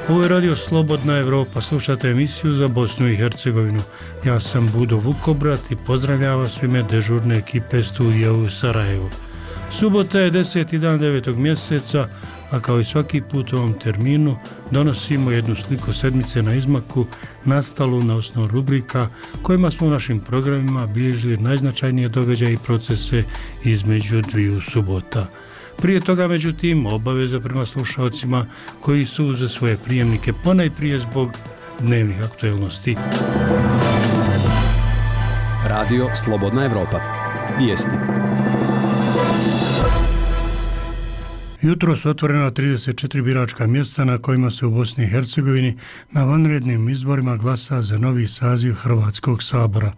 Ovo je radio Slobodna Evropa, slušate emisiju za Bosnu i Hercegovinu. Ja sam Budo Vukobrat i pozdravljam vas u ime dežurne ekipe studija u Sarajevu. Subota je 10. dan 9. mjeseca, a kao i svaki put u ovom terminu donosimo jednu sliku sedmice na izmaku, nastalu na osnovu rubrika kojima smo u našim programima bilježili najznačajnije događaje i procese između dviju subota. Prije toga, međutim, obaveza prema slušalcima koji su za svoje prijemnike ponajprije zbog dnevnih aktuelnosti. Radio Slobodna Evropa. Vijesti. Jutro su otvorena 34 biračka mjesta na kojima se u Bosni i Hercegovini na vanrednim izborima glasa za novi saziv Hrvatskog sabora.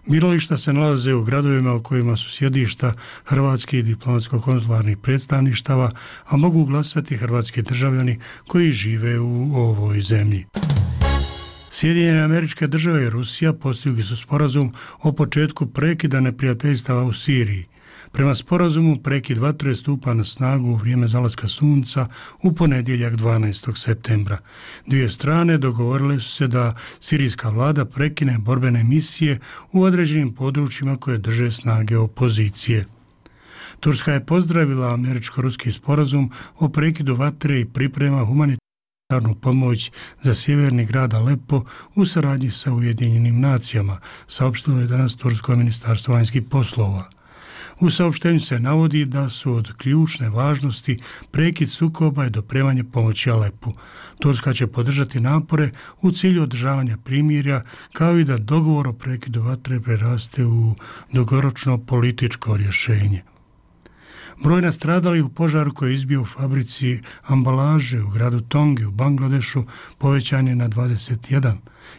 Birališta se nalaze u gradovima u kojima su sjedišta hrvatskih diplomatsko-konzularnih predstavništava, a mogu glasati hrvatski državljani koji žive u ovoj zemlji. Sjedinjene Američke Države i Rusija postigli su sporazum o početku prekida neprijateljstava u Siriji. Prema sporazumu prekid vatre stupa na snagu u vrijeme zalaska sunca u ponedjeljak 12. septembra. Dvije strane dogovorile su se da sirijska vlada prekine borbene misije u određenim područjima koje drže snage opozicije. Turska je pozdravila američko-ruski sporazum o prekidu vatre i priprema humanitarnu pomoć za sjeverni grad Alepo u saradnji sa Ujedinjenim nacijama, saopštilo je danas Tursko ministarstvo vanjskih poslova. U saopštenju se navodi da su od ključne važnosti prekid sukoba i dopremanje pomoći Alepu. Turska će podržati napore u cilju održavanja primirja, kao i da dogovor o prekidu vatre preraste u dugoročno političko rješenje. Broj nastradalih u požaru koji je izbio u fabrici ambalaže u gradu Tongi u Bangladešu povećan je na 21,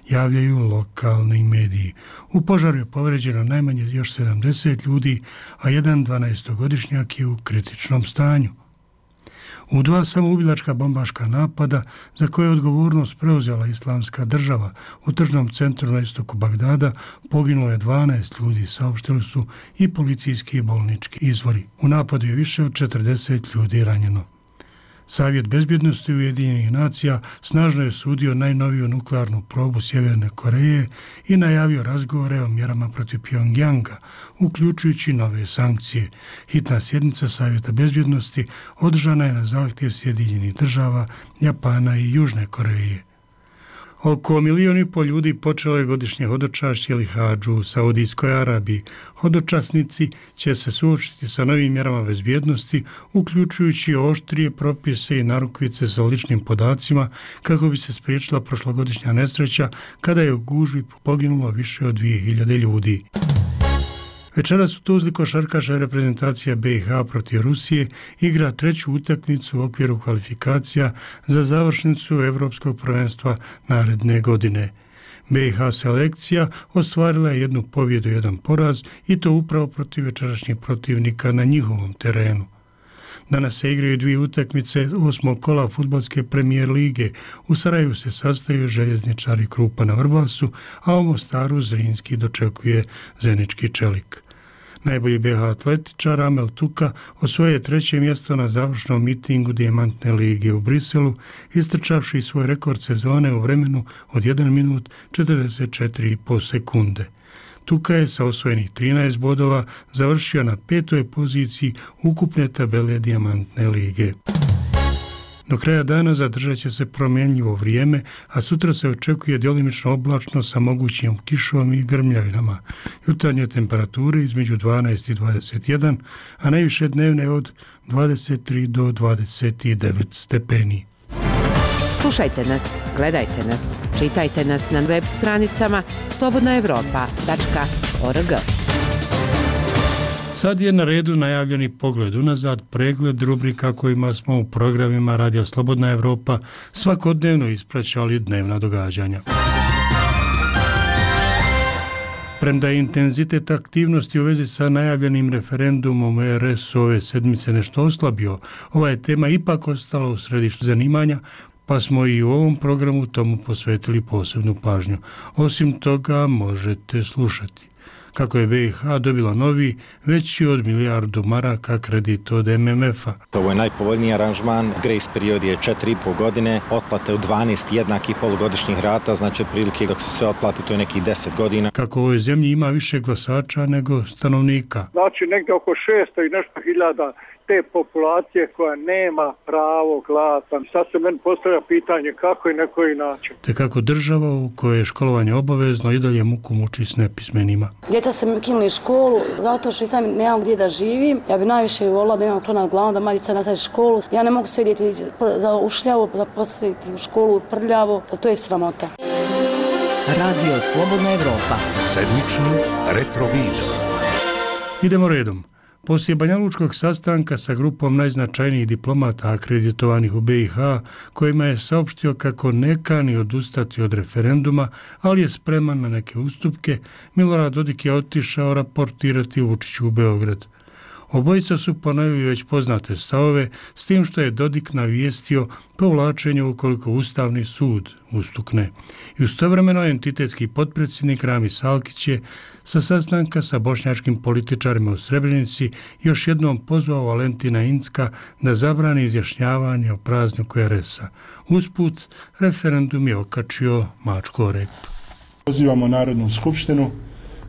javljaju lokalni mediji. U požaru je povrijeđeno najmanje još 70 ljudi, a jedan 12-godišnjak je u kritičnom stanju. U dva samoubilačka bombaška napada za koje je odgovornost preuzela Islamska država u tržnom centru na istoku Bagdada poginulo je 12 ljudi, saopštili su i policijski i bolnički izvori. U napadu je više od 40 ljudi ranjeno. Savjet bezbjednosti Ujedinjenih nacija snažno je sudio najnoviju nuklearnu probu Sjeverne Koreje i najavio razgovore o mjerama protiv Pjongjanga, uključujući nove sankcije. Hitna sjednica Savjeta bezbjednosti održana je na zahtjev Sjedinjenih država, Japana i Južne Koreje. Oko 1,5 milijuna ljudi počelo je godišnje hodočašće ili hadžu u Saudijskoj Arabiji. Hodočasnici će se suočiti sa novim mjerama bezbjednosti, uključujući oštrije propise i narukvice sa ličnim podacima, kako bi se spriječila prošlogodišnja nesreća kada je u gužvi poginulo više od 2000 ljudi. Večeras u Tuzli košarkaška reprezentacija BiH protiv Rusije igra treću utakmicu u okviru kvalifikacija za završnicu Europskog prvenstva naredne godine. BiH selekcija ostvarila je 1 pobjedu i 1 poraz i to upravo protiv večerašnjih protivnika na njihovom terenu. Danas se igraju 2 utakmice 8. kola fudbalske premijer lige. U Sarajevu se sastaju željezničari Krupa na Vrbasu, a u Mostaru Zrinski dočekuje Zenički Čelik. Najbolji BiH atletičar Amel Tuka osvojio je 3. mjesto na završnom mitingu Dijamantne lige u Briselu, istrčavši svoj rekord sezone u vremenu od 1 minut 44,5 sekunde. Tuka je sa osvojenih 13 bodova završio na 5. poziciji ukupne tabele Dijamantne lige. Do kraja dana zadržat će se promjenjivo vrijeme, a sutra se očekuje djelimično oblačno sa mogućim kišom i grmljavinama. Jutarnje temperature između 12 i 21, a najviše dnevne od 23 do 29 stepeni. Slušajte nas, gledajte nas, čitajte nas na web stranicama slobodnaevropa.org. Sad je na redu najavljeni pogled unazad, pregled rubrika kojima smo u programima Radio Slobodna Evropa svakodnevno ispraćali dnevna događanja. Premda je intenzitet aktivnosti u vezi sa najavljenim referendumom RS ove sedmice nešto oslabio, ova je tema ipak ostala u središtu zanimanja, pa smo i u ovom programu tomu posvetili posebnu pažnju. Osim toga možete slušati kako je BiH dobila novi, veći od milijardu maraka kredit od MMF-a. Ovo je najpovoljniji aranžman, grace period je 4,5 godine, otplate u 12 jednakih polugodišnjih rata, znači otprilike dok se sve otplati to je nekih 10 godina. Kako u ovoj zemlji ima više glasača nego stanovnika. Znači negdje oko 600 i nešto hiljada te populacije koja nema pravo glasa. Sad se meni postavlja pitanje kako i na koji način. Te kako država u kojoj je školovanje obavezno i dalje muku muči s nepismenima. Djeca su mi ukinuli školu zato što sam nemam gdje da živim. Ja bi najviše volila da imam krov nad glavom, da Marica nastavi školu. Ja ne mogu sve djeti za ušljavo, da postaviti u školu prljavo, to je sramota. Radio Slobodna Evropa. Sedmični retrovizor. Idemo redom. Poslije banjalučkog sastanka sa grupom najznačajnijih diplomata akreditovanih u BiH, kojima je saopštio kako ne kani odustati od referenduma, ali je spreman na neke ustupke, Milorad Dodik je otišao raportirati Vučiću u Beograd. Obojica su ponovili već poznate stavove, s tim što je Dodik navijestio povlačenje ukoliko Ustavni sud ustukne. I istovremeno entitetski potpredsjednik Ramis Alkić je sa sastanka sa bošnjačkim političarima u Srebrenici još jednom pozvao Valentina Incka da zabrani izjašnjavanje o prazniku RS-a. Usput, referendum je okačio mačku o rep. Pozivamo Narodnu skupštinu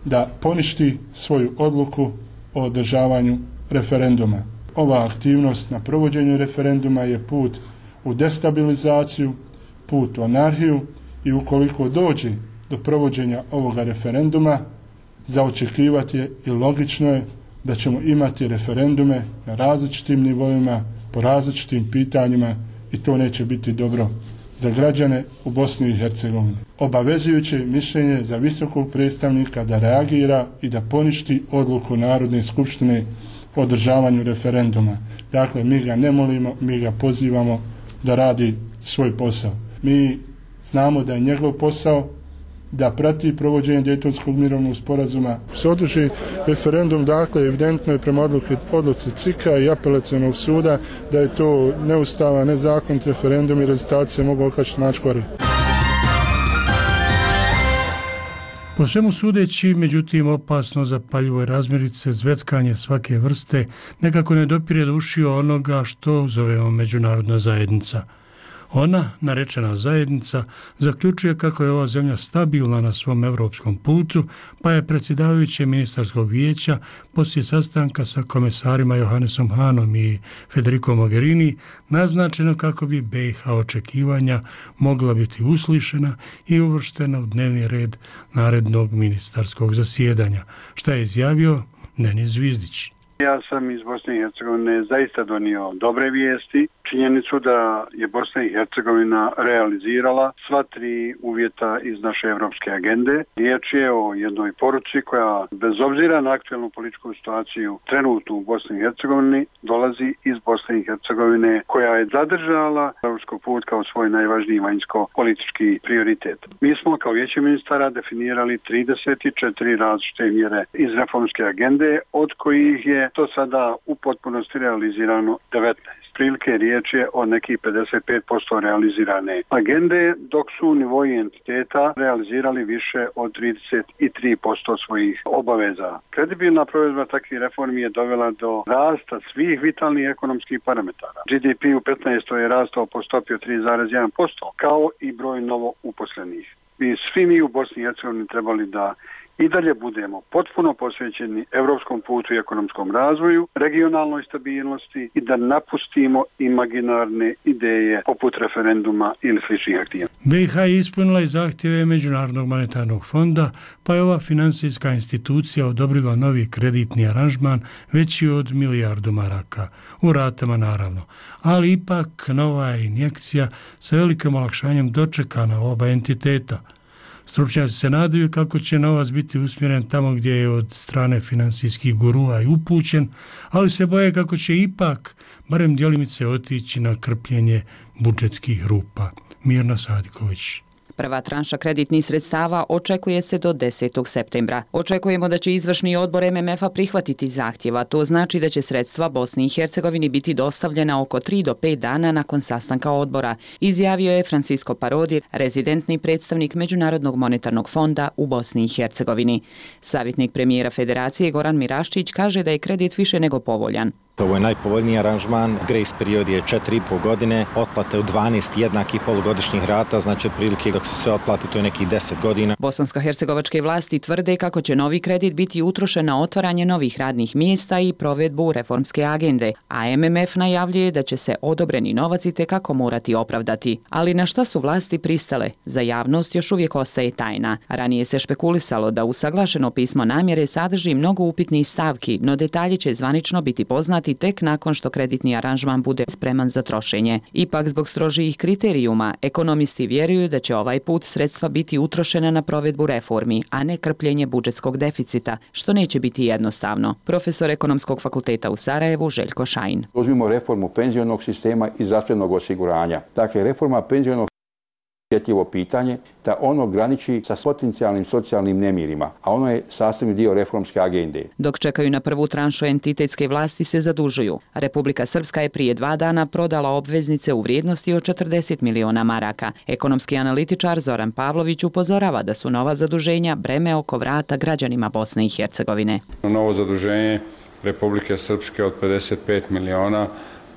da poništi svoju odluku o održavanju referenduma. Ova aktivnost na provođenju referenduma je put u destabilizaciju, put u anarhiju i ukoliko dođe do provođenja ovoga referenduma, za očekivati je i logično je da ćemo imati referendume na različitim nivoima, po različitim pitanjima i to neće biti dobro za građane u Bosni i Hercegovini. Obavezujuće mišljenje za visokog predstavnika da reagira i da poništi odluku Narodne skupštine o održavanju referenduma. Dakle, mi ga ne molimo, mi ga pozivamo da radi svoj posao. Mi znamo da je njegov posao da prati provođenje Dejtonskog mirovnog sporazuma. Se održi referendum, dakle, evidentno je prema odluci CIK-a i apelacionog suda da je to neustavan, nezakonit referendum i rezultati se mogu okačiti mačku o rep. Po svemu sudeći, međutim, opasno zapaljivoj razmirice, zveckanje svake vrste nekako ne dopire do ušiju onoga što zovemo međunarodna zajednica. Ona, narečena zajednica, zaključuje kako je ova zemlja stabilna na svom evropskom putu, pa je predsjedavajuće ministarskog vijeća poslije sastanka sa komesarima Johannesom Hanom i Federico Mogherini naznačeno kako bi BiH očekivanja mogla biti uslišena i uvrštena u dnevni red narednog ministarskog zasjedanja, što je izjavio Denis Zvizdić. Ja sam iz Bosne i Hercegovine zaista donio dobre vijesti, činjenicu da je Bosna i Hercegovina realizirala sva tri uvjeta iz naše evropske agende. Riječ je o jednoj poruci koja, bez obzira na aktualnu političku situaciju trenutnu u Bosni i Hercegovini, dolazi iz Bosne i Hercegovine, koja je zadržala evropski put kao svoj najvažniji vanjsko-politički prioritet. Mi smo kao vijeće ministara definirali 34 različite mjere iz reformske agende, od kojih je to sada u potpunosti realizirano 19. Prilike riječ je o nekih 55% realizirane agende, dok su u nivoji entiteta realizirali više od 33% svojih obaveza. Kredibilna provedba takvih reformi je dovela do rasta svih vitalnih ekonomskih parametara. GDP u 15. je rastao po stopi od 3,1%, kao i broj novo uposlenih. Svi mi u Bosni i Hercegovini trebali da i dalje budemo potpuno posvećeni evropskom putu i ekonomskom razvoju, regionalnoj stabilnosti i da napustimo imaginarne ideje poput referenduma ili sličnih aktivnosti. BiH je ispunila i zahtjeve Međunarodnog monetarnog fonda, pa je ova financijska institucija odobrila novi kreditni aranžman veći od milijardu maraka, u ratama naravno, ali ipak nova injekcija sa velikim olakšanjem dočekana oba entiteta. Stručnjaci se nadaju kako će novac biti usmjeren tamo gdje je od strane financijskih gurua i upućen, ali se boje kako će ipak barem djelimice otići na krpljenje budžetskih rupa. Mirna Sadiković. Prva tranša kreditnih sredstava očekuje se do 10. septembra. Očekujemo da će izvršni odbor MMF-a prihvatiti zahtjeva. To znači da će sredstva Bosni i Hercegovini biti dostavljena oko 3 do 5 dana nakon sastanka odbora, izjavio je Francisco Parodi, rezidentni predstavnik Međunarodnog monetarnog fonda u Bosni i Hercegovini. Savjetnik premijera Federacije Goran Miraščić kaže da je kredit više nego povoljan. Ovo je najpovoljniji aranžman, grace period je 4,5 godine, otplate u 12 jednakih polugodišnjih rata, znači otprilike dok se sve otplati to je nekih 10 godina. Bosansko-hercegovačke vlasti tvrde kako će novi kredit biti utrošen na otvaranje novih radnih mjesta i provedbu reformske agende, a MMF najavljuje da će se odobreni novac itekako morati opravdati. Ali na šta su vlasti pristale? Za javnost još uvijek ostaje tajna. Ranije se špekulisalo da usaglašeno pismo namjere sadrži mnogo upitnih stavki, no detalji će zvanično biti poznati tek nakon što kreditni aranžman bude spreman za trošenje. Ipak, zbog strožijih kriterijuma, ekonomisti vjeruju da će ovaj put sredstva biti utrošena na provedbu reformi, a ne krpljenje budžetskog deficita, što neće biti jednostavno. Profesor Ekonomskog fakulteta u Sarajevu Željko Šajin. Uzmimo reformu penzionog sistema i zdravstvenog osiguranja. Dakle, reforma penzionog osjetljivo pitanje da ono graniči sa potencijalnim socijalnim nemirima, a ono je sastavni dio reformske agende. Dok čekaju na prvu tranšu, entitetske vlasti se zadužuju. Republika Srpska je prije 2 dana prodala obveznice u vrijednosti od 40 miliona maraka. Ekonomski analitičar Zoran Pavlović upozorava da su nova zaduženja breme oko vrata građanima Bosne i Hercegovine. Novo zaduženje Republike Srpske od 55 miliona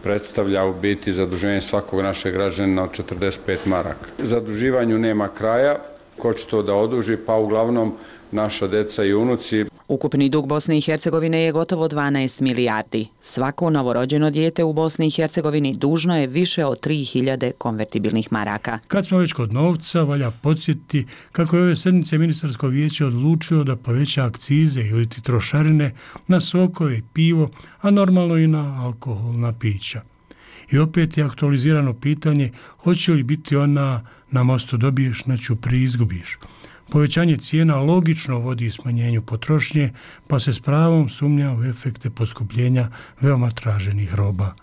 predstavlja u biti zaduženje svakog našeg građanina od 45 maraka. Zaduživanju nema kraja, ko će to da oduži, pa uglavnom naša deca i unuci. Ukupni dug Bosne i Hercegovine je gotovo 12 milijardi. Svako novorođeno dijete u Bosni i Hercegovini dužno je više od 3000 konvertibilnih maraka. Kad smo već kod novca, valja podsjetiti kako je ove sedmice ministarsko vijeće odlučilo da poveća akcize ili trošarine na sokove i pivo, a normalno i na alkoholna pića. I opet je aktualizirano pitanje hoće li biti ona na mostu dobiješ, na ćupri izgubiš. Povećanje cijena logično vodi smanjenju potrošnje, pa se s pravom sumnja u efekte poskupljenja veoma traženih roba.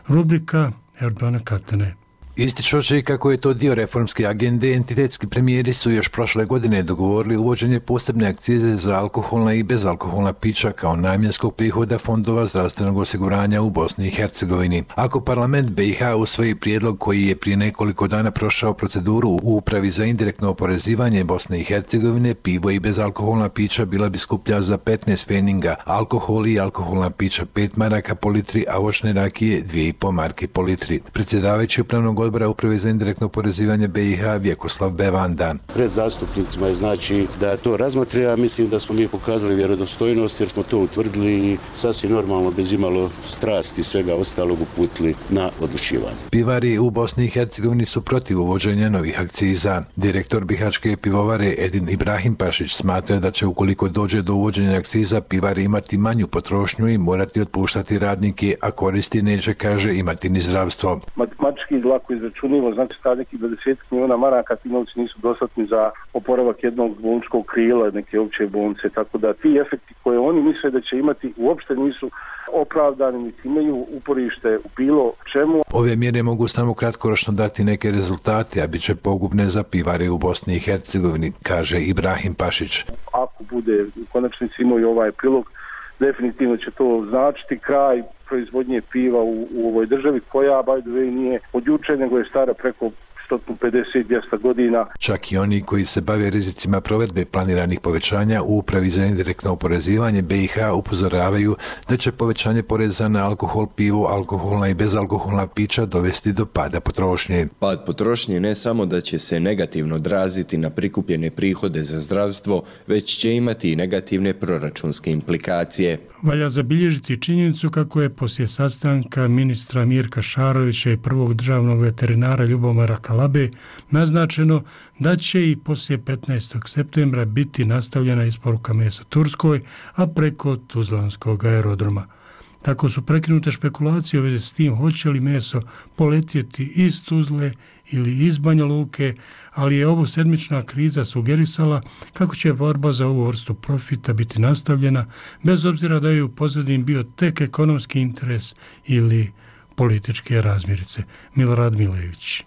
Rubrika Erdogana Katane. Ističući kako je to dio reformske agende, entitetski premijeri su još prošle godine dogovorili uvođenje posebne akcize za alkoholna i bezalkoholna pića kao namjenskog prihoda fondova zdravstvenog osiguranja u Bosni i Hercegovini. Ako parlament BiH usvoji prijedlog koji je prije nekoliko dana prošao proceduru u Upravi za indirektno oporezivanje Bosne i Hercegovine, pivo i bezalkoholna pića bila bi skuplja za 15 pfeninga, alkohol i alkoholna pića 5 maraka po litri, a voćne rakije 2,5 marke po litri. Predsjedavajući upravnog odbora Uprave za indirektno oporezivanje BiH Vjekoslav Bevanda. Pred zastupnicima je znači da to razmotri, a mislim da smo mi pokazali vjerodostojnost jer smo to utvrdili i sasvim normalno bez imalo strasti i svega ostalog uputili na odlučivanje. Pivari u Bosni i Hercegovini su protiv uvođenja novih akciza. Direktor Bihaćke pivovare Edin Ibrahim Pašić smatra da će ukoliko dođe do uvođenja akciza pivari imati manju potrošnju i morati otpuštati radnike, a koristi neće, kaže, imati ni zdravstvo. Matematički lako izračunivo, znači sta nekih 20 miliona maraka, ti novci nisu dostatni za oporavak jednog bolničkog krila, neke opće bolnice, tako da ti efekti koje oni misle da će imati uopšte nisu opravdani, niti imaju uporište u bilo čemu. Ove mjere mogu samo kratkoročno dati neke rezultate, a bit će pogubne za pivare u Bosni i Hercegovini, kaže Ibrahim Pašić. Ako bude u konačnici imao ovaj prilog, definitivno će to značiti kraj proizvodnje piva u ovoj državi koja, by the way, nije od juče, nego je stara preko 150-200 godina. Čak i oni koji se bave rizicima provedbe planiranih povećanja u Upravi za indirektno oporezivanje BiH upozoravaju da će povećanje poreza na alkohol, pivo, alkoholna i bezalkoholna pića dovesti do pada potrošnje. Pad potrošnje ne samo da će se negativno odraziti na prikupljene prihode za zdravstvo, već će imati i negativne proračunske implikacije. Valja zabilježiti činjenicu kako je poslije sastanka ministra Mirka Šarovića i prvog državnog veterinara Ljubomira Kalabe naznačeno da će i poslije 15. septembra biti nastavljena isporuka mesa Turskoj, a preko Tuzlanskog aerodroma. Tako su prekinute špekulacije u vezi s tim hoće li meso poletjeti iz Tuzle ili iz Banja Luke, ali je ovo sedmična kriza sugerisala kako će borba za ovu vrstu profita biti nastavljena, bez obzira da je u pozadini bio tek ekonomski interes ili političke razmirice. Milorad Milević.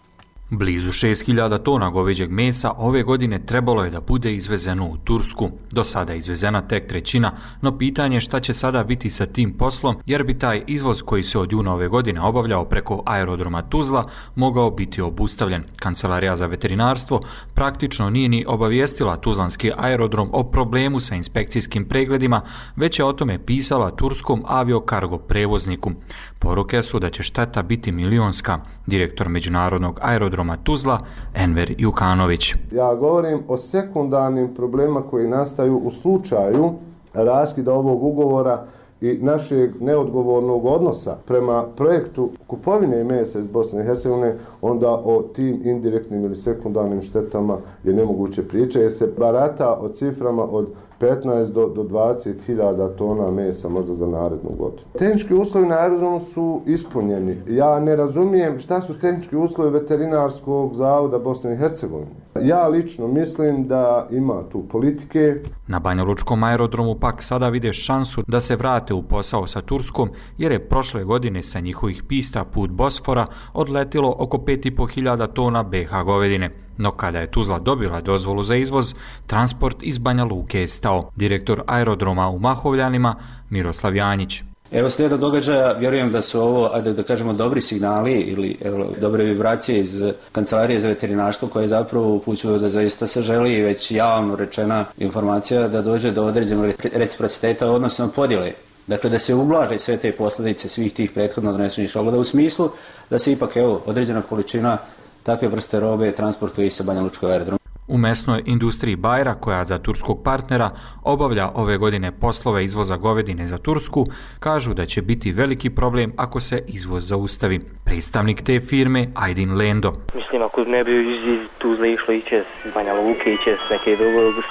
Blizu 6.000 tona goveđeg mesa ove godine trebalo je da bude izvezeno u Tursku. Do sada je izvezena tek trećina, no pitanje je šta će sada biti sa tim poslom, jer bi taj izvoz koji se od juna ove godine obavljao preko aerodroma Tuzla mogao biti obustavljen. Kancelarija za veterinarstvo praktično nije ni obavijestila tuzlanski aerodrom o problemu sa inspekcijskim pregledima, već je o tome pisala turskom aviokargo prevozniku. Poruke su da će šteta biti milionska. Direktor međunarodnog aerodroma Tuzla, Enver Jukanović. Ja govorim o sekundarnim problemima koji nastaju u slučaju raskida ovog ugovora i našeg neodgovornog odnosa prema projektu kupovine mesa iz Bosne i Hercegovine, onda o tim indirektnim ili sekundarnim štetama je nemoguće pričati, jer se barata o ciframa od 15 do 20.000 tona mesa možda za narednu godinu. Tehnički uslovi na aerodromu su ispunjeni. Ja ne razumijem šta su tehnički uslovi veterinarskog zavoda Bosne i Hercegovine. Ja lično mislim da ima tu politike. Na Banjalučkom aerodromu pak sada vide šansu da se vrate u posao sa Turskom, jer je prošle godine sa njihovih pista put Bosfora odletilo oko 5.500 tona BH govedine. No kada je Tuzla dobila dozvolu za izvoz, transport iz Banja Luke je stao. Direktor aerodroma u Mahovljanima, Miroslav Janjić. Evo slijeda događaja, vjerujem da su ovo, ajde da kažemo, dobri signali ili dobre vibracije iz Kancelarije za veterinarstvo koje zapravo upućuju da zaista se želi već javno rečena informacija da dođe do određenog reciprociteta, odnosno podjele. Dakle, da se ublaže sve te posljedice svih tih prethodno donesenih šogova u smislu da se ipak određena količina takve vrste robe transportuje i sa Banjalučkog aerodroma. U mesnoj industriji Bajra, koja za turskog partnera obavlja ove godine poslove izvoza govedine za Tursku, kažu da će biti veliki problem ako se izvoz zaustavi. Predstavnik te firme, Aydin Lendo. Mislim, ako ne bi iz Tuzle išlo iće iz Banja Luke, iće s neke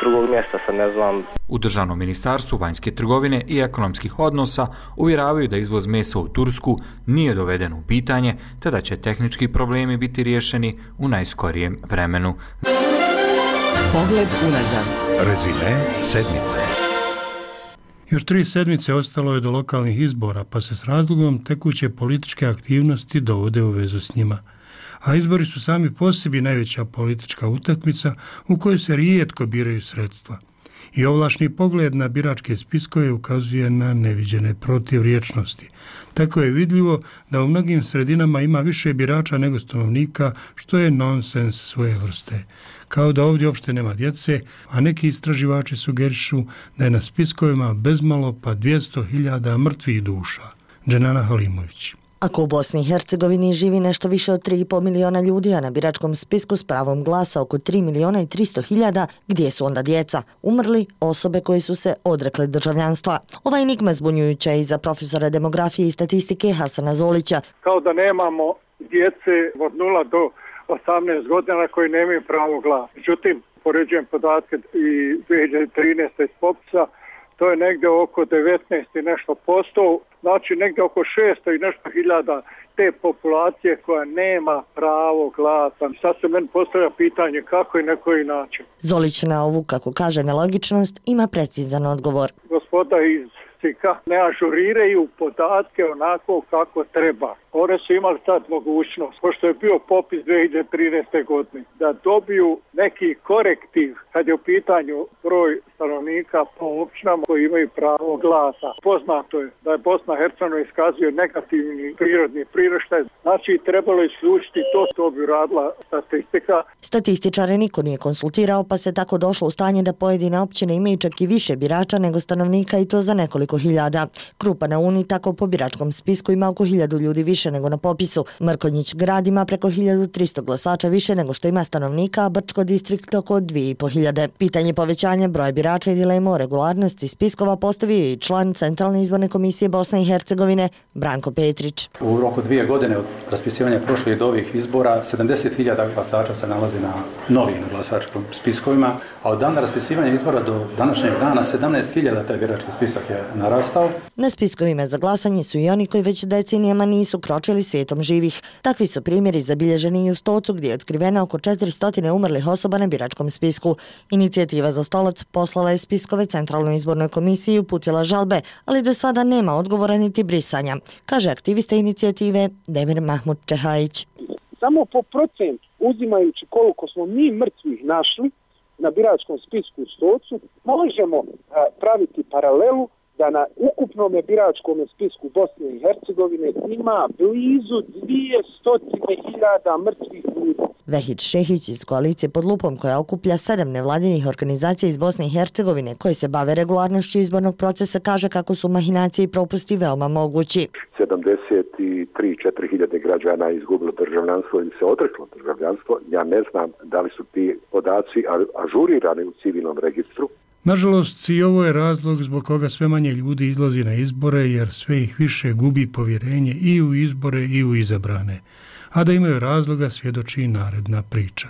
drugog mjesta, sad ne znam. U Državnom ministarstvu vanjske trgovine i ekonomskih odnosa uvjeravaju da izvoz mesa u Tursku nije doveden u pitanje, te da će tehnički problemi biti riješeni u najskorijem vremenu. Pogled unazad. Rezime sedmice. Još 3 sedmice ostalo je do lokalnih izbora, pa se s razlogom tekuće političke aktivnosti dovode u vezu s njima. A izbori su sami po sebi najveća politička utakmica u kojoj se rijetko biraju sredstva. I ovlašni pogled na biračke spiskove ukazuje na neviđene protivriječnosti. Tako je vidljivo da u mnogim sredinama ima više birača nego stanovnika, što je nonsens svoje vrste. Kao da ovdje uopšte nema djece, a neki istraživači sugerišu da je na spiskovima bezmalo pa 200.000 mrtvih duša. Dženana Halimović. Ako u Bosni i Hercegovini živi nešto više od 3,5 miliona ljudi, a na biračkom spisku s pravom glasa oko 3.300.000, gdje su onda djeca? Umrli, osobe koje su se odrekle državljanstva. Ova enigma zbunjujuća i za profesora demografije i statistike Hasana Zolića. Kao da nemamo djece od 0 do 18 godina koji nemaju pravo glasa. Međutim, poređujem podatke i 2013. iz popisa, to je negdje oko 19 i nešto posto, znači negdje oko 600 i nešto hiljada te populacije koja nema pravo glasa. Sad se meni postavlja pitanje kako i na koji način. Zolić na ovu, kako kaže, nelogičnost ima precizan odgovor. Gospoda iz SIKA ne ažuriraju podatke onako kako treba. One su imali sad mogućnost, pošto je bio popis 2013. godine, da dobiju neki korektiv kad je u pitanju broj stanovnika po općinama koji imaju pravo glasa. Poznato je da je Bosna i Hercegovina iskazuje negativni prirodni priraštaj, znači trebalo je isključiti to bi radila statistika. Statističare niko nije konsultirao, pa se tako došlo u stanje da pojedine općine imaju čak i više birača nego stanovnika i to za nekoliko hiljada. Krupa na Uni tako po biračkom spisku ima oko 1000 ljudi više nego na popisu. Mrkonjić grad ima preko 1300 glasača više nego što ima stanovnika, a Brčko distrikt oko 2500. Pitanje povećanja broja birača i dilema o regularnosti spiskova postavio i član Centralne izborne komisije Bosne i Hercegovine Branko Petrić. U roku 2 godine od raspisivanja prošlih do ovih izbora 70.000 glasača se nalazi na novim glasačkim spiskovima, a od dana raspisivanja izbora do današnjeg dana 17.000 taj birački spisak je narastao. Na spiskovima za glasanje su i oni koji već decenijama nisu kročili svijetom živih. Takvi su primjeri zabilježeni i u Stocu gdje je otkriveno oko 400 umrlih osoba na biračkom spisku. Inicijativa za Stolac poslala je spiskove Centralnoj izbornoj komisiji i uputila žalbe, ali do sada nema odgovora niti brisanja, kaže aktivista inicijative Demir Mahmud Čehajić. Samo po procentu uzimajući koliko smo mi mrtvih našli na biračkom spisku u Stocu, možemo praviti paralelu da na ukupnom biračkom spisku Bosne i Hercegovine ima blizu 200.000 mrtvih ljudi. Vehid Šehić iz koalicije Pod lupom, koja okuplja 7 nevladinih organizacija iz Bosne i Hercegovine koji se bave regularnošću izbornog procesa, kaže kako su mahinacije i propusti veoma mogući. 73-4 hiljade građana izgubilo državljanstvo ili se odreklo državljanstvo. Ja ne znam da li su ti podaci ažurirani u civilnom registru. Nažalost, i ovo je razlog zbog koga sve manje ljudi izlazi na izbore, jer sve ih više gubi povjerenje i u izbore i u izabrane. A da imaju razloga svjedoči i naredna priča.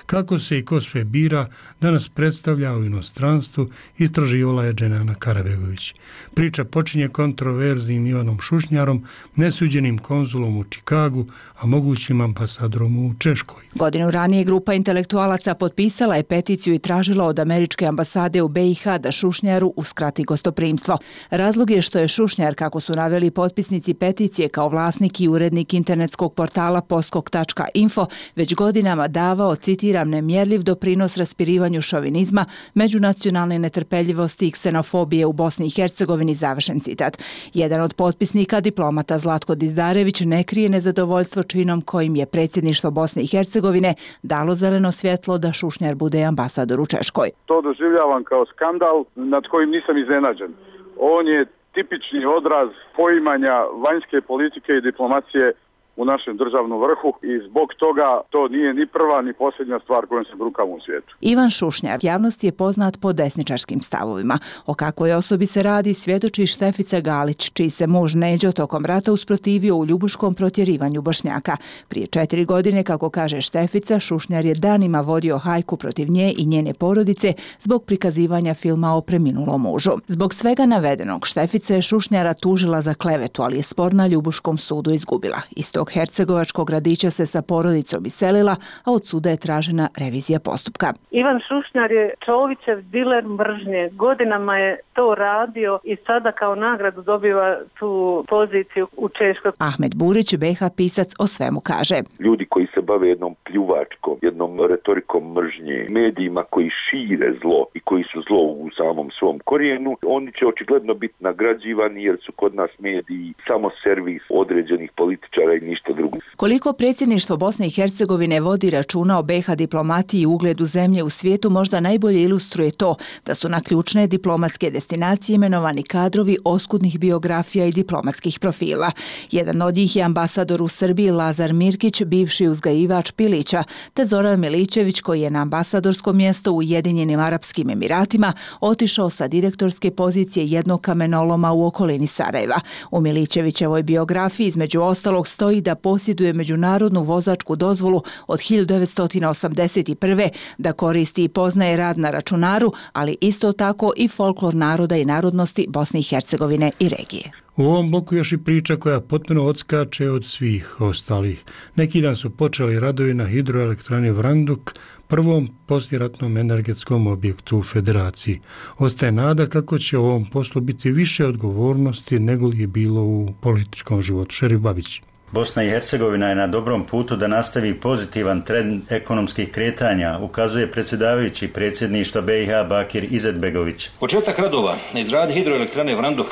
Kako se i ko sve bira, danas predstavlja u inostranstvu, istraživala je Dženana Karabegović. Priča počinje kontroverznim Ivanom Šušnjarom, nesuđenim konzulom u Čikagu, a mogućim ambasadorom u Češkoj. Godinu ranije grupa intelektualaca potpisala je peticiju i tražila od američke ambasade u BiH da Šušnjaru uskrati gostoprimstvo. Razlog je što je Šušnjar, kako su naveli potpisnici peticije, kao vlasnik i urednik internetskog portala poskok.info, već godinama davao, citiram, nemjerljiv doprinos raspirivanju šovinizma, međunacionalne netrpeljivosti i ksenofobije u Bosni i Hercegovini, završen citat. Jedan od potpisnika, diplomata Zlatko Dizdarević, ne krije nezadovoljstvo činom kojim je predsjedništvo Bosne i Hercegovine dalo zeleno svjetlo da Šušnjar bude ambasador u Češkoj. To doživljavam kao skandal nad kojim nisam iznenađen. On je tipični odraz poimanja vanjske politike i diplomacije u našem državnom vrhu i zbog toga to nije ni prva ni posljednja stvar kojom se brukamo u svijetu. Ivan Šušnjar javnosti je poznat po desničarskim stavovima. O kakvoj osobi se radi svjedoči Štefica Galić, čiji se muž Neđo tokom rata usprotivio u ljubuškom protjerivanju Bošnjaka. Prije 4 godine, kako kaže Štefica, Šušnjar je danima vodio hajku protiv nje i njene porodice zbog prikazivanja filma o preminulom mužu. Zbog svega navedenog, Štefica je Šušnjara tužila za klevetu, ali je spor na Ljubuškom sudu izgubila. Iz tog hercegovačkog gradića se sa porodicom iselila, a od suda je tražena revizija postupka. Ivan Šušnjar je Čovićev diler mržnje. Godinama je to radio i sada kao nagradu dobiva tu poziciju u Češkoj. Ahmed Burić, BiH pisac, o svemu kaže. Ljudi koji se bave jednom pljuvačkom, jednom retorikom mržnje, medijima koji šire zlo i koji su zlo u samom svom korijenu, oni će očigledno biti nagrađivani jer su kod nas mediji samo servis određenih političara i ništa drugo. Koliko predsjedništvo Bosne i Hercegovine vodi računa o BiH diplomatiji i ugledu zemlje u svijetu možda najbolje ilustruje to da su na ključne diplomatske destinacije imenovani kadrovi oskudnih biografija i diplomatskih profila. Jedan od njih je ambasador u Srbiji Lazar Mirkić, bivši uzgajivač pilića, te Zoran Miličević, koji je na ambasadorsko mjesto u Ujedinjenim Arapskim Emiratima otišao sa direktorske pozicije jednog kamenoloma u okolini Sarajeva. U Miličevićevoj biografiji između ostalog stoji da posjeduje međunarodnu vozačku dozvolu od 1981. da koristi i poznaje rad na računaru, ali isto tako i folklor naroda i narodnosti Bosne i Hercegovine i regije. U ovom bloku još i priča koja potpuno odskače od svih ostalih. Neki dan su počeli radovi na hidroelektrani Vranduk, prvom poslijeratnom energetskom objektu u Federaciji. Ostaje nada kako će u ovom poslu biti više odgovornosti nego li je bilo u političkom životu. Šerif Babić. Bosna i Hercegovina je na dobrom putu da nastavi pozitivan trend ekonomskih kretanja, ukazuje predsjedavajući predsjedništva BiH Bakir Izetbegović. Početak radova na izgradnji hidroelektrane Vranduk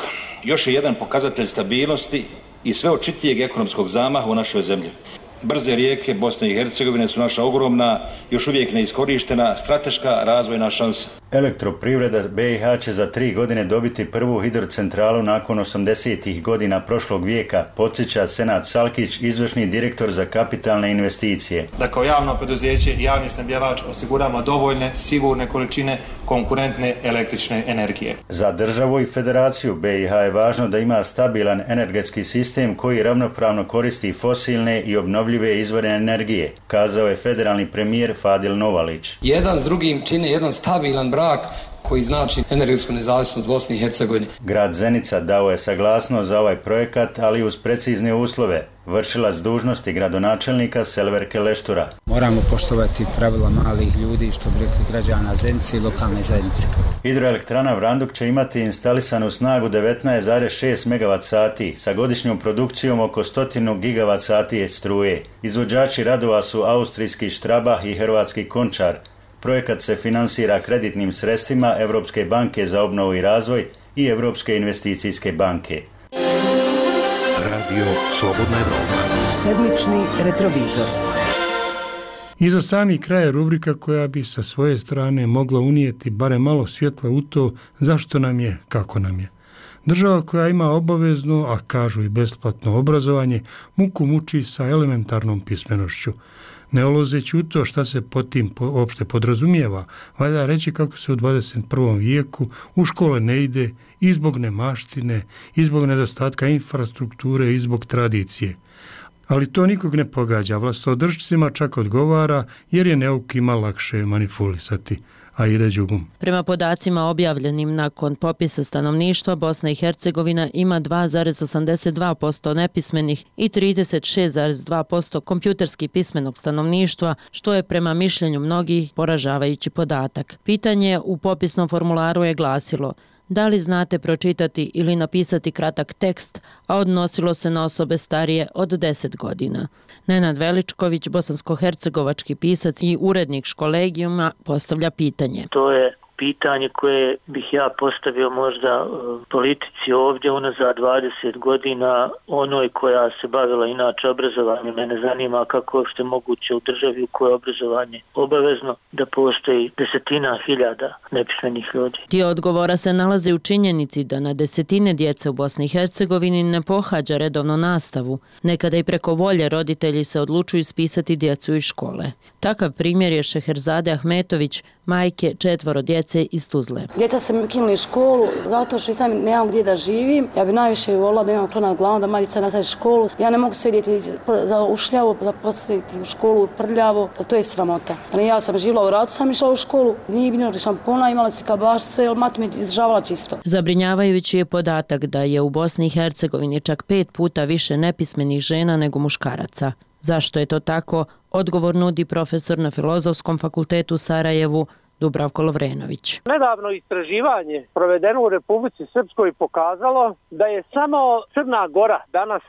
još je jedan pokazatelj stabilnosti i sve očitijeg ekonomskog zamaha u našoj zemlji. Brze rijeke Bosne i Hercegovine su naša ogromna, još uvijek neiskorištena strateška razvojna šansa. Elektroprivreda BiH će za 3 godine dobiti prvu hidrocentralu nakon 80. godina prošlog vijeka, podsjeća Senad Salkić, izvršni direktor za kapitalne investicije. Da kao javno preduzeće i javni snabdjevač osiguramo dovoljne, sigurne količine konkurentne električne energije. Za državu i federaciju BiH je važno da ima stabilan energetski sistem koji ravnopravno koristi fosilne i obnovljive izvore energije, kazao je federalni premijer Fadil Novalić. Jedan s drugim čine jedan stabilan brak koji znači energetsku nezavisnost Bosne i Hercegovine. Grad Zenica dao je saglasnost za ovaj projekat, ali uz precizne uslove. Vršilac dužnosti gradonačelnika Selverke Leštura. Moramo poštovati pravila malih ljudi, što bi rekli građana Zenice i lokalne zajednice. Hidroelektrana Vranduk će imati instalisanu snagu 19,6 MWh sa godišnjom produkcijom oko 100 GWh struje. Izvođači radova su austrijski Strabag i hrvatski Končar. Projekat se finansira kreditnim sredstvima Europske banke za obnovu i razvoj i Europske investicijske banke. Radio Slobodna Evropa. Sedmični retrovizor. I za sami kraj rubrika koja bi sa svoje strane mogla unijeti barem malo svjetla u to zašto nam je, kako nam je. Država koja ima obavezno, a kažu i besplatno obrazovanje, muku muči sa elementarnom pismenošću. Ne ulazeći u to šta se pod tim uopšte podrazumijeva, valja reći kako se u 21. vijeku u škole ne ide i zbog nemaštine, i zbog nedostatka infrastrukture, i zbog tradicije. Ali to nikog ne pogađa, vlastodržcima čak odgovara jer je neukima lakše manipulisati. A ide đubom. Prema podacima objavljenim nakon popisa stanovništva, Bosna i Hercegovina ima 2,82% nepismenih i 36,2% kompjuterski pismenog stanovništva, što je prema mišljenju mnogih poražavajući podatak. Pitanje u popisnom formularu je glasilo: da li znate pročitati ili napisati kratak tekst, a odnosilo se na osobe starije od 10 godina. Nenad Veličković, bosansko-hercegovački pisac i urednik Školegijuma, postavlja pitanje. To je pitanje koje bih ja postavio možda politici ovdje unazad 20 godina, onoj koja se bavila inače obrazovanjem. Mene zanima kako je moguće u državi u kojoj je obrazovanje obavezno da postoji desetina hiljada nepismenih ljudi. Dio odgovora se nalazi u činjenici da na desetine djece u Bosni i Hercegovini ne pohađa redovno nastavu. Nekada i preko volje roditelji se odlučuju ispisati djecu iz škole. Takav primjer je Šeherzade Ahmetović, majke 4 djece iz Tuzle. Djeca su mi ukinuli školu zato što sam nemam gdje da živim. Ja bi najviše volila da imam krona nad glavom, da Marica nastavi školu. Ja ne mogu sve dijete za ušljavo, da postaviti u školu prljavo, to je sramota. Ja sam živjela u ratu, sam išla u školu, nije bilo šampona, imala si kabašce, jer mati me izdržavala čisto. Zabrinjavajući je podatak da je u Bosni i Hercegovini čak 5 puta više nepismenih žena nego muškaraca. Zašto je to tako? Odgovor nudi profesor na Filozofskom fakultetu u Sarajevu, Dubravko Lovrenović. Nedavno istraživanje provedeno u Republici Srpskoj pokazalo da je samo Crna Gora danas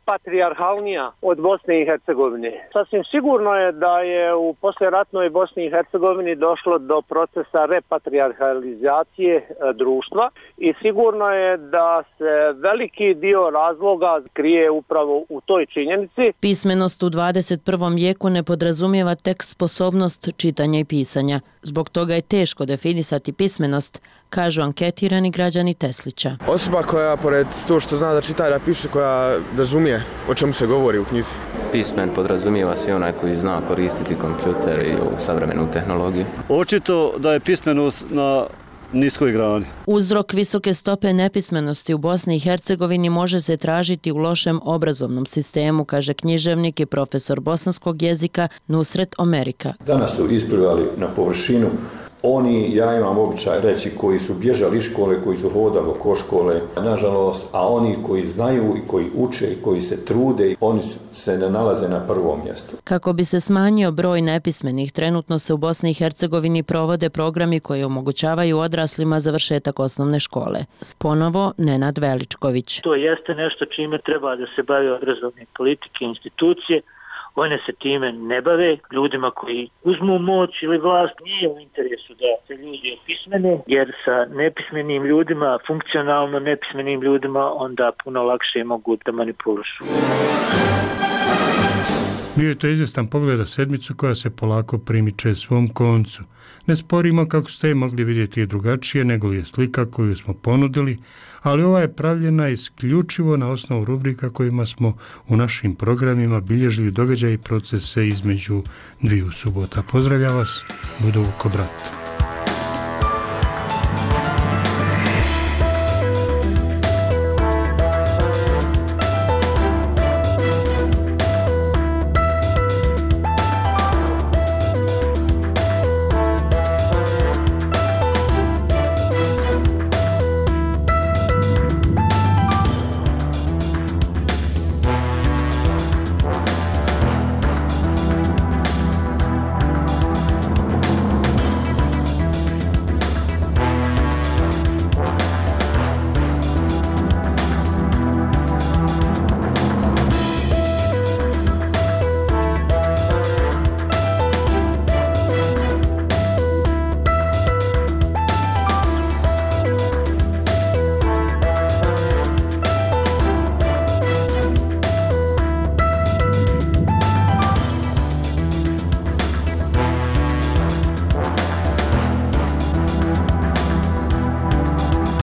patrijarhalnija od Bosne i Hercegovine. Sasvim sigurno je da je u poslijeratnoj Bosni i Hercegovini došlo do procesa repatrijarhalizacije društva i sigurno je da se veliki dio razloga krije upravo u toj činjenici. Pismenost u 21. vijeku ne podrazumijeva tek sposobnost čitanja i pisanja. Zbog toga je teško definisati pismenost, kažu anketirani građani Teslića. Osoba koja, pored to što zna da čita i da piše, koja razumije o čemu se govori u knjizi. Pismen podrazumijeva se onaj koji zna koristiti kompjuter i savremenu tehnologiju. Očito da je pismenost na niskoj grani. Uzrok visoke stope nepismenosti u Bosni i Hercegovini može se tražiti u lošem obrazovnom sistemu, kaže književnik i profesor bosanskog jezika Nusret Omerika. Danas su isplivali na površinu oni, ja imam običaj reći, koji su bježali iz škole, koji su hodali oko škole, nažalost, a oni koji znaju i koji uče i koji se trude, oni se ne nalaze na prvom mjestu. Kako bi se smanjio broj nepismenih, trenutno se u Bosni i Hercegovini provode programi koji omogućavaju odraslima završetak osnovne škole. Ponovo Nenad Veličković. To jeste nešto čime treba da se bave obrazovne politike i institucije. One se time ne bave, ljudima koji uzmu moć ili vlast nije u interesu da se ljudi opismene, jer sa nepismenim ljudima, funkcionalno nepismenim ljudima, onda puno lakše mogu da manipulišu. Bio je to izvjestan pogled na sedmicu koja se polako primiče svom koncu. Ne sporimo kako ste mogli vidjeti i drugačije nego je slika koju smo ponudili, ali ova je pravljena isključivo na osnovu rubrika kojima smo u našim programima bilježili događaje i procese između dviju subota. Pozdravlja vas, Budo Vuko brat.